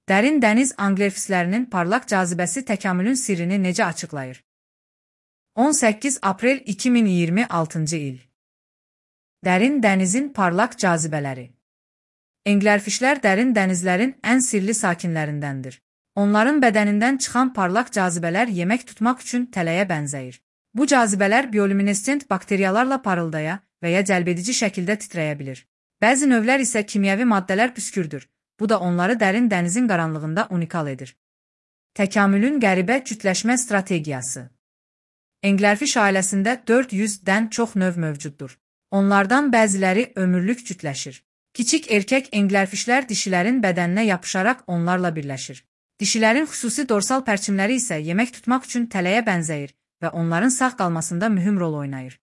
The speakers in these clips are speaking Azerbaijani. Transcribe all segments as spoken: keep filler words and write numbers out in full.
Dərin dəniz anglerfislərinin parlaq cazibəsi təkamülün sirrini necə açıqlayır? on səkkiz aprel iki min iyirmi altıncı il. Dərin dənizin parlaq cazibələri. Anglerfişlər dərin dənizlərin ən sirli sakinlərindəndir. Onların bədənindən çıxan parlaq cazibələr yemək tutmaq üçün tələyə bənzəyir. Bu cazibələr bioluminescent bakteriyalarla parıldaya və ya cəlbedici şəkildə titrəyə bilir. Bəzi növlər isə kimyəvi maddələr püskürdür. Bu da onları dərin dənizin qaranlığında unikal edir. Təkamülün qəribə cütləşmə strategiyası. Anglerfiş ailəsində dörd yüzdən çox növ mövcuddur. Onlardan bəziləri ömürlük cütləşir. Kiçik erkək anglerfişlər dişilərin bədəninə yapışaraq onlarla birləşir. Dişilərin xüsusi dorsal pərçimləri isə yemək tutmaq üçün tələyə bənzəyir və onların sağ qalmasında mühüm rol oynayır.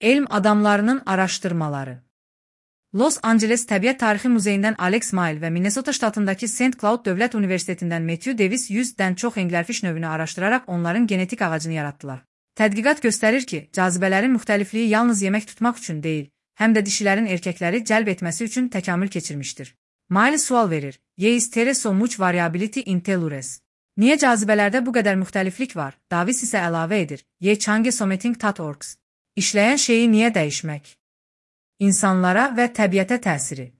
Elm adamlarının araşdırmaları. Los Angeles Təbiət Tarixi Muzeyindən Alex Mail və Minnesota ştatındakı Saint Cloud Dövlət Universitetindən Matthew Davis yüzdən çox anglerfiş növünü araşdıraraq onların genetik ağacını yaratdılar. Tədqiqat göstərir ki, cazibələrin müxtəlifliyi yalnız yemək tutmaq üçün deyil, həm də dişilərin erkəkləri cəlb etməsi üçün təkamül keçirmişdir. Mail sual verir: "Is there so much variability in tellures?" Niyə cazibələrdə bu qədər müxtəliflik var? Davis isə əlavə edir: "Ye change something that works." İşləyən şeyi niyə dəyişmək? İnsanlara və təbiətə təsiri.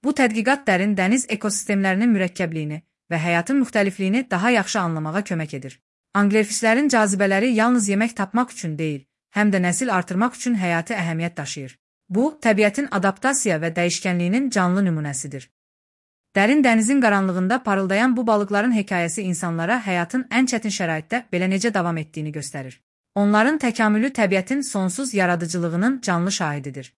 Bu tədqiqat dərin dəniz ekosistemlərinin mürəkkəbliyini və həyatın müxtəlifliyini daha yaxşı anlamağa kömək edir. Anglerfişlərin cazibələri yalnız yemək tapmaq üçün deyil, həm də nəsil artırmaq üçün həyati əhəmiyyət daşıyır. Bu, təbiətin adaptasiya və dəyişkənliyinin canlı nümunəsidir. Dərin dənizin qaranlığında parıldayan bu balıqların hekayəsi insanlara həyatın ən çətin şəraitdə belə necə davam etdiyini göstərir. Onların təkamülü təbiətin sonsuz yaradıcılığının canlı şahididir.